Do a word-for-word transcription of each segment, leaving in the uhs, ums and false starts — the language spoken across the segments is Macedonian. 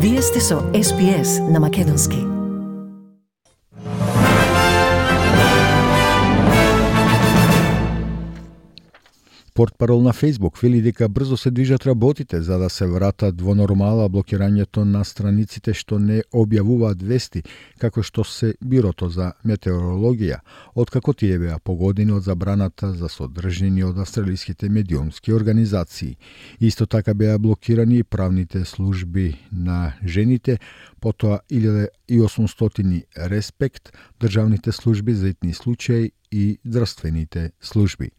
Вие сте со Ес Би Ес на Македонски. Портпарол на Facebook вели дека брзо се движат работите за да се вратат во нормала блокирањето на страниците што не објавуваат вести, како што се Бирото за метеорологија, откако тие беа погодени од забраната за содржини од австралиските медиумски организации. Исто така беа блокирани и правните служби на жените, потоа илјада и осумстотини Респект, државните служби за итни случаи и здравствените служби.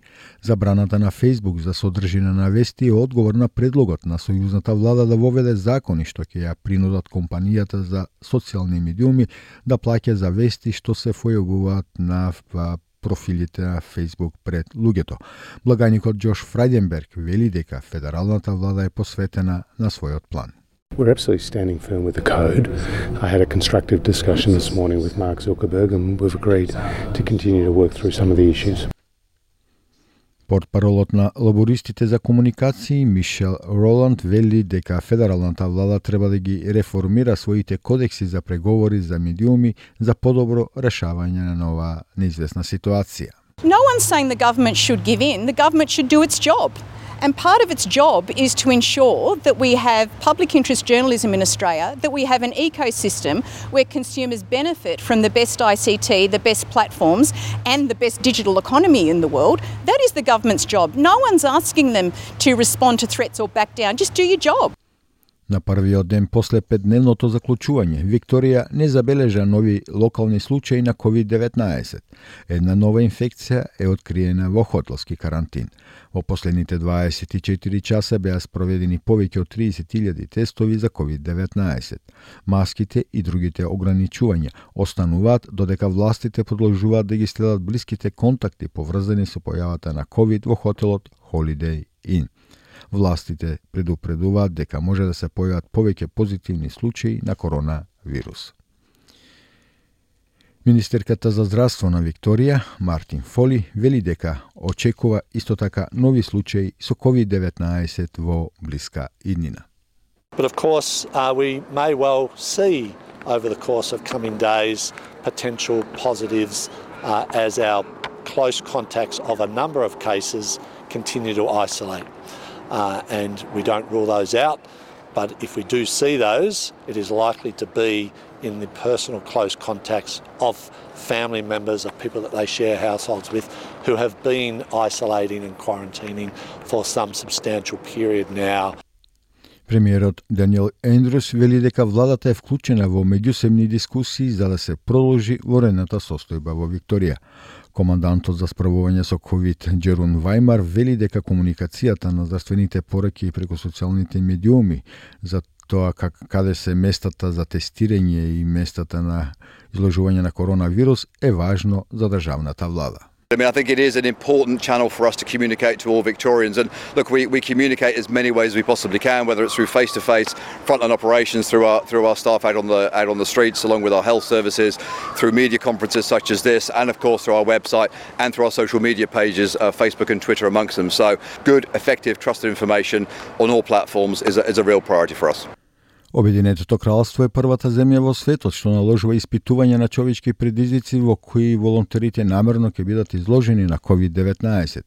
Забраната на Facebook за содржина на вести е одговор на предлогот на сојузната влада да воведе закони што ќе ја принудат компанијата за социјални медиуми да плаќа за вести што се појавуваат на профилите на Facebook пред луѓето. Благаникот Џош Фрајденберг вели дека федералната влада е посветена на својот план. We're absolutely standing firm with the code. I had a constructive discussion this morning with Mark Zuckerberg and we've agreed to continue to work through some of the issues. Портпаролот на лабористите за комуникации Мишел Роланд вели дека федералната влада треба да ги реформира своите кодекси за преговори за медиуми за подобро решавање на оваа неизвестна ситуација. No one's saying the government should give in. The government should do its job. And part of its job is to ensure that we have public interest journalism in Australia, that we have an ecosystem where consumers benefit from the best I C T, the best platforms, and the best digital economy in the world. That is the government's job. No one's asking them to respond to threats or back down. Just do your job. На првиот ден после петдневното заклучување, Викторија не забележа нови локални случаи на ковид деветнаесет. Една нова инфекција е откриена во хотелски карантин. Во последните дваесет и четири часа беа спроведени повеќе од триесет илјади тестови за ковид деветнаесет. Маските и другите ограничувања остануваат додека властите продолжуваат да ги следат блиските контакти поврзани со појавата на ковид во хотелот Holiday Inn. Властите предупредуваат дека може да се појават повеќе позитивни случаи на коронавирус. Министерката за здравство на Викторија, Мартин Фоли, вели дека очекува исто така нови случаи со ковид деветнаесет во блиска иднина. But of course, uh, we may well see over the course of coming days potential positives uh, as our close contacts of a number of cases continue to isolate. Uh, and we don't rule those out, but if we do see those, it is likely to be in the personal close contacts of family members, of people that they share households with, who have been isolating and quarantining for some substantial period now. Премиерот Даниел Ендрюс вели дека владата е вклучена во меѓусебни дискусии за да се продолжи ворената состојба во Викторија. Командантот за справување со ковид Джерун Вајмар вели дека комуникацијата на здравствените пораки преку социјалните медиуми за тоа как, каде се местата за тестирање и местата на изложување на коронавирус е важно за државната влада. I mean, I think it is an important channel for us to communicate to all Victorians. And look, we, we communicate as many ways as we possibly can, whether it's through face-to-face, frontline operations, through our through our staff out on the out on the streets, along with our health services, through media conferences such as this, and of course through our website and through our social media pages, uh, Facebook and Twitter amongst them. So, good, effective, trusted information on all platforms is a, is a real priority for us. Обединетото кралство е првата земја во светот што наложува испитување на човечки предизвици во кои волонтерите намерно ќе бидат изложени на ковид деветнаесет.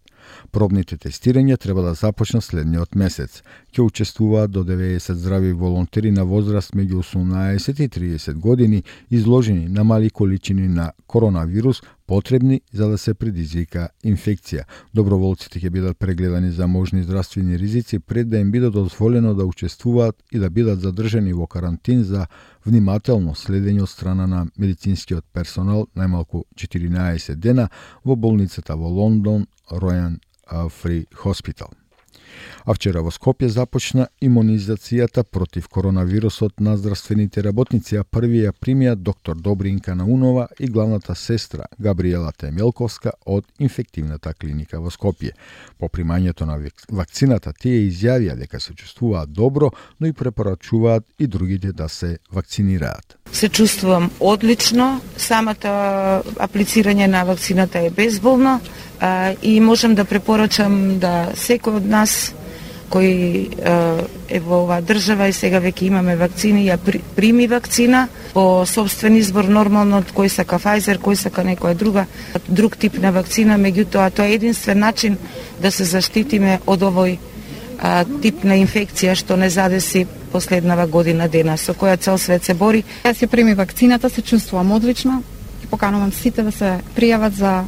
Пробните тестирања треба да започнат следниот месец. Ќе учествуваат до деветдесет здрави волонтери на возраст меѓу осумнаесет и триесет години, изложени на мали количини на коронавирус, потребни за да се предизвика инфекција. Доброволците ќе бидат прегледани за можни здравствени ризици пред да им биде дозволено да учествуваат и да бидат задржани во карантин за внимателно следење од страна на медицинскиот персонал најмалку четиринаесет дена во болницата во Лондон Royal Free Hospital. А вчера во Скопје започна имунизацијата против коронавирусот на здравствените работници, а први ја примија доктор Добринка Наунова и главната сестра Габриела Темелковска од инфективната клиника во Скопје. По примањето на вакцината тие изјавија дека се чувствуваат добро, но и препорачуваат и другите да се вакцинираат. Се чувствувам одлично, самата аплицирање на вакцината е безболно а, и можам да препорачам да секој од нас кој е во оваа држава и сега веќе имаме вакцини, ја прими вакцина по собствен избор, нормално кој сака Pfizer, кој сака некоја друга друг тип на вакцина, меѓутоа тоа е единствен начин да се заштитиме од овој а, тип на инфекција што не задеси последнава година дена, со која цел свет се бори. Јас ја прими вакцината, се чувствувам одлично и поканувам сите да се пријават за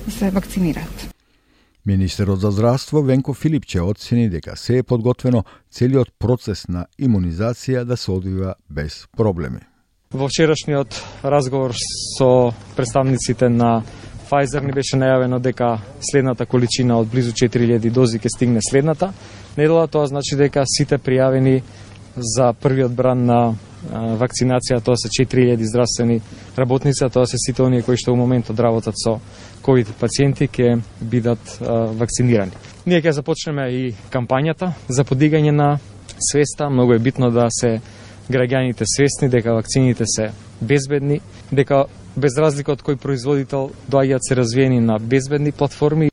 да се вакцинираат. Министерот за здравство Венко Филипче оцени дека се е подготвено целиот процес на имунизација да се одвива без проблеми. Во вчерашниот разговор со представниците на Pfizer ни беше најавено дека следната количина од близу четири илјади дози ќе стигне следната недела. Тоа значи дека сите пријавени за првиот бран на вакцинација, тоа се четири илјади здравствени работници, тоа се сите оние кои што во моментот работат со ковид пациенти ќе бидат а, вакцинирани. Ние ќе започнеме и кампањата за подигање на свеста. Многу е битно да се граѓаните свесни дека вакцините се безбедни, дека без разлика од кој производител доаѓаат се развиени на безбедни платформи.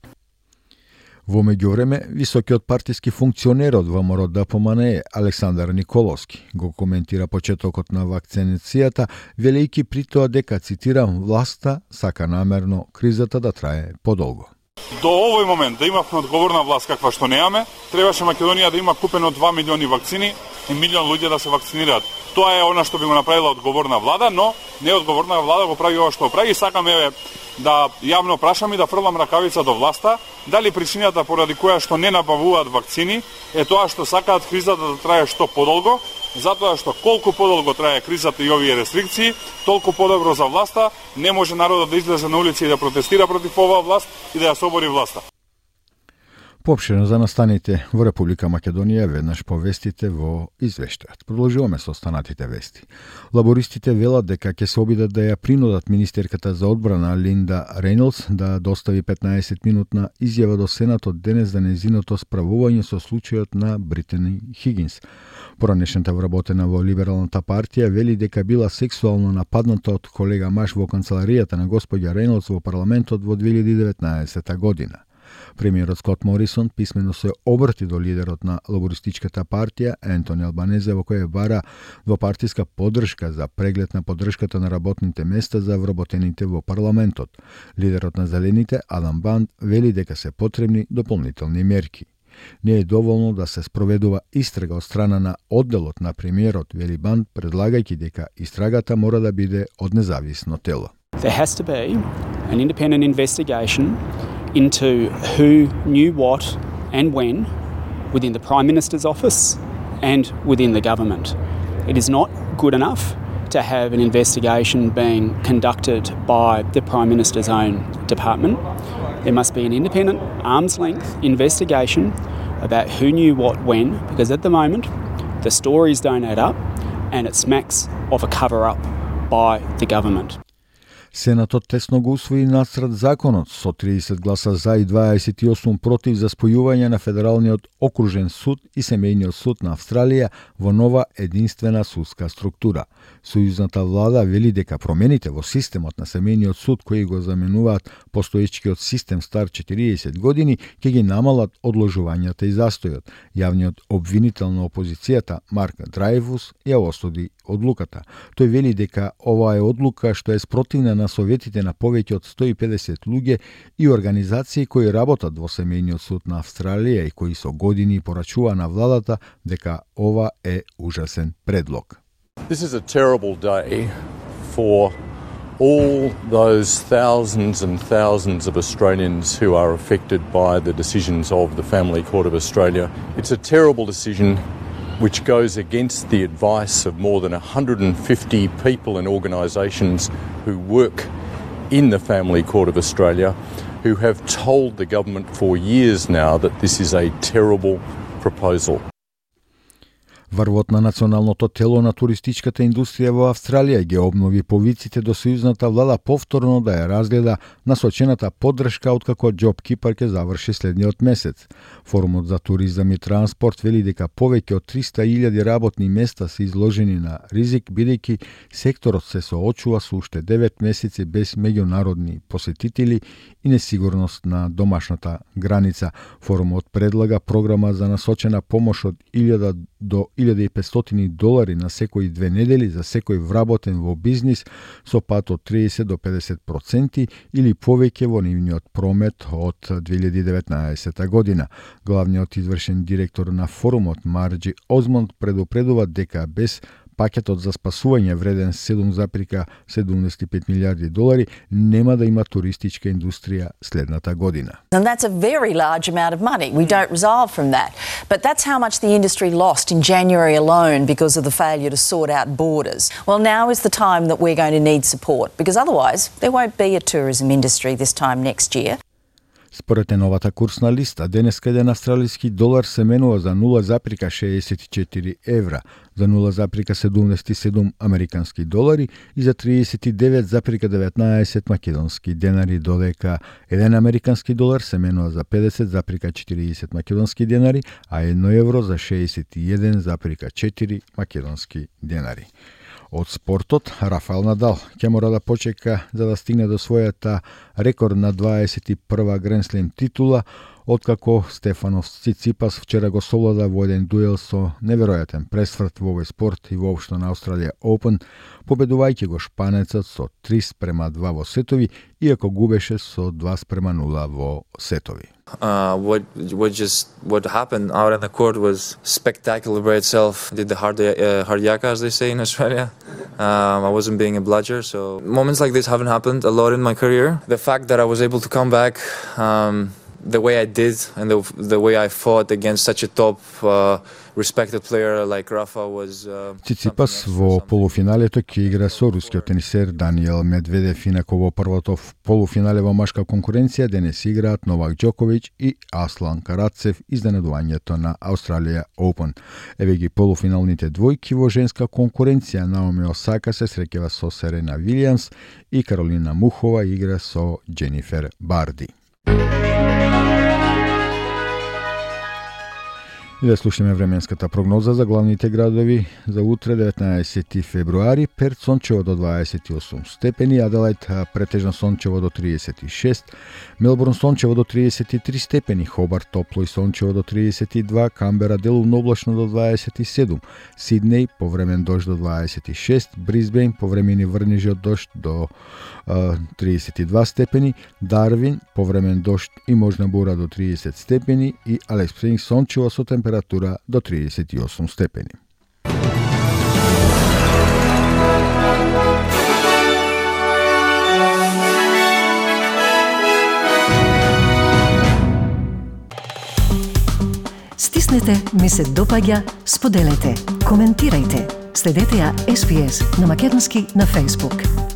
Во меѓувреме, високиот партиски функционер од ВМРО Д П М Н Е Александар Николовски го коментира почетокот на вакцинацијата, велејќи при тоа дека, цитирам, власта сака намерно кризата да трае подолго. До овој момент да имавме одговорна власт каква што немаме, требаше Македонија да има купено два милиони вакцини и милион луѓе да се вакцинираат. Тоа е она што би го направила одговорна влада, но неодговорна влада го прави ова што прави и сакаме да јавно прашам и да фрлам ракавица до власта, дали причината поради која што не набавуваат вакцини е тоа што сакаат кризата да трае што подолго, затоа што колку подолго трае кризата и овие рестрикции, толку подобро за власта, не може народот да излезе на улици и да протестира против оваа власт и да ја собори власта. Поопштено за настаните во Република Македонија веднаш по вестите во извештајот. Продолжуваме со останатите вести. Лабористите велат дека ќе се обидат да ја принудат министерката за одбрана Линда Рейнолдс да достави петнаесет минутна изјава до Сенатот денес за нејзиното справување со случајот на Британи Хигинс. Поранешната вработена во Либералната партија вели дека била сексуално нападната од колега маж во канцеларијата на господја Рейнолдс во парламентот во две илјади и деветнаесетта година. Премиерот Скот Морисон писмено се обрати до лидерот на лабористичката партија Ентони Албанезе во која бара двопартиска поддршка за преглед на поддршката на работните места за вработените во парламентот. Лидерот на Зелените Адам Банд вели дека се потребни дополнителни мерки. Не е доволно да се спроведува истрага од страна на одделот на премиерот, вели Банд, предлагајќи дека истрагата мора да биде од независно тело. There has to be an independent investigation into who knew what and when within the Prime Minister's office and within the government. It is not good enough to have an investigation being conducted by the Prime Minister's own department. There must be an independent, arm's-length investigation about who knew what when, because at the moment the stories don't add up and it smacks of a cover-up by the government. Сенатот тесно го усвои нацрт законот со триесет гласа за и дваесет и осум против за спојување на Федералниот окружен суд и Семејниот суд на Австралија во нова единствена судска структура. Сојузната влада вели дека промените во системот на Семејниот суд кои го заменуваат постоечкиот систем стар четириесет години ќе ги намалат одложувањата и застојот. Јавниот обвинител на опозицијата Марк Драйвус ја осуди одлуката. Тој вели дека ова е одлука што е спротивна на советите на повеќе од сто и педесет луѓе и организации кои работат во Семејниот суд на Австралија и кои со години порачува на владата дека ова е ужасен предлог. This is a terrible day for all those thousands and thousands of Australians who are affected by the decisions of the Family Court of Australia. It's a terrible decision which goes against the advice of more than one hundred fifty people and organisations who work in the Family Court of Australia, who have told the government for years now that this is a terrible proposal. Врвот на националното тело на туристичката индустрија во Австралија ги обнови повиците до сојузната влада повторно да ја разгледа насочената поддршка откако JobKeeper ќе заврши следниот месец. Форумот за туризам и транспорт вели дека повеќе од триста илјади работни места се изложени на ризик, бидејќи секторот се соочува со уште девет месеци без меѓународни посетители и несигурност на домашната граница. Форумот предлага програма за насочена помош од илјада до илјада и петстотини долари на секои две недели за секој вработен во бизнис со пат од триесет до педесет проценти или повеќе во нивниот промет од две илјади и деветнаесета година. Главниот извршен директор на форумот Марџи Озмонд предупредува дека без пакетот за спасување вреден седум зарез седумдесет и пет милијарди долари нема да има туристичка индустрија следната година. And that's a very large amount of money. We don't resolve from that. But that's how much the industry lost in January alone because of the failure to sort out borders. Well, now is the time that we're going to need support because otherwise there won't be a tourism industry this time next year. Според новата курсна листа, денеска еден австралиски долар се менува за нула зарез шеесет и четири евра, за нула зарез седумдесет и седум американски долари и за триесет и девет зарез деветнаесет македонски денари, додека еден американски долар се менува за педесет зарез четириесет македонски денари, а едно евро за шеесет и еден зарез четири македонски денари. Од спортот, Рафаел Надал ќе мора да почека за да стигне до својата рекордна дваесет и прва Гренслем титула, откако Стефанос Циципас вчера го совлада во еден дуел со неверојатен пресврт во овој спорт и воопшто на Australia Open, победувајќи го шпанецот со три спрема два во сетови, иако губеше со два спрема нула во сетови. Uh, what what just what happened out on the court was spectacular by itself. Did the hard uh, hard yaka, as they say in Australia. Um, I wasn't being a bludger, so moments like this haven't happened a lot in my career. The fact that I was able to come back um, the way I did and the the way I fought against such a top uh, respected player like Rafa was uh, Циципас во полуфиналето ќе игра со рускиот тенисер Даниел Медведев, инако во првото полуфинале во машка конкуренција денес играат Новак Џоковиќ и Аслан Карацев, изненадувањето на Australia Open. Еве ги полуфиналните двојки во женска конкуренција. Наоми Осака се среќава со Серена Вилијамс и Каролина Мухова игра со Дженифер Барди. И да слушаме временската прогноза за главните градови за утре деветнаесети февруари. Перт сончево до дваесет и осум степени, Аделајд претежно сончево до триесет и шест, Мелбурн сончево до триесет и три степени, Хобарт топло и сончево до триесет и два, Камбера делумно облачно до дваесет и седум, Сиднеј повремен дожд до дваесет и шест, Брисбејн повремени врнежи од дожд до uh, триесет и два степени, Дарвин повремен дожд и можна бура до триесет степени и Алис Спрингс сончево со температура до триесет и осум степени. Стиснете, ми се допаѓа, споделете, коментирајте. Следете ја Ес Би Ес на македонски на Facebook.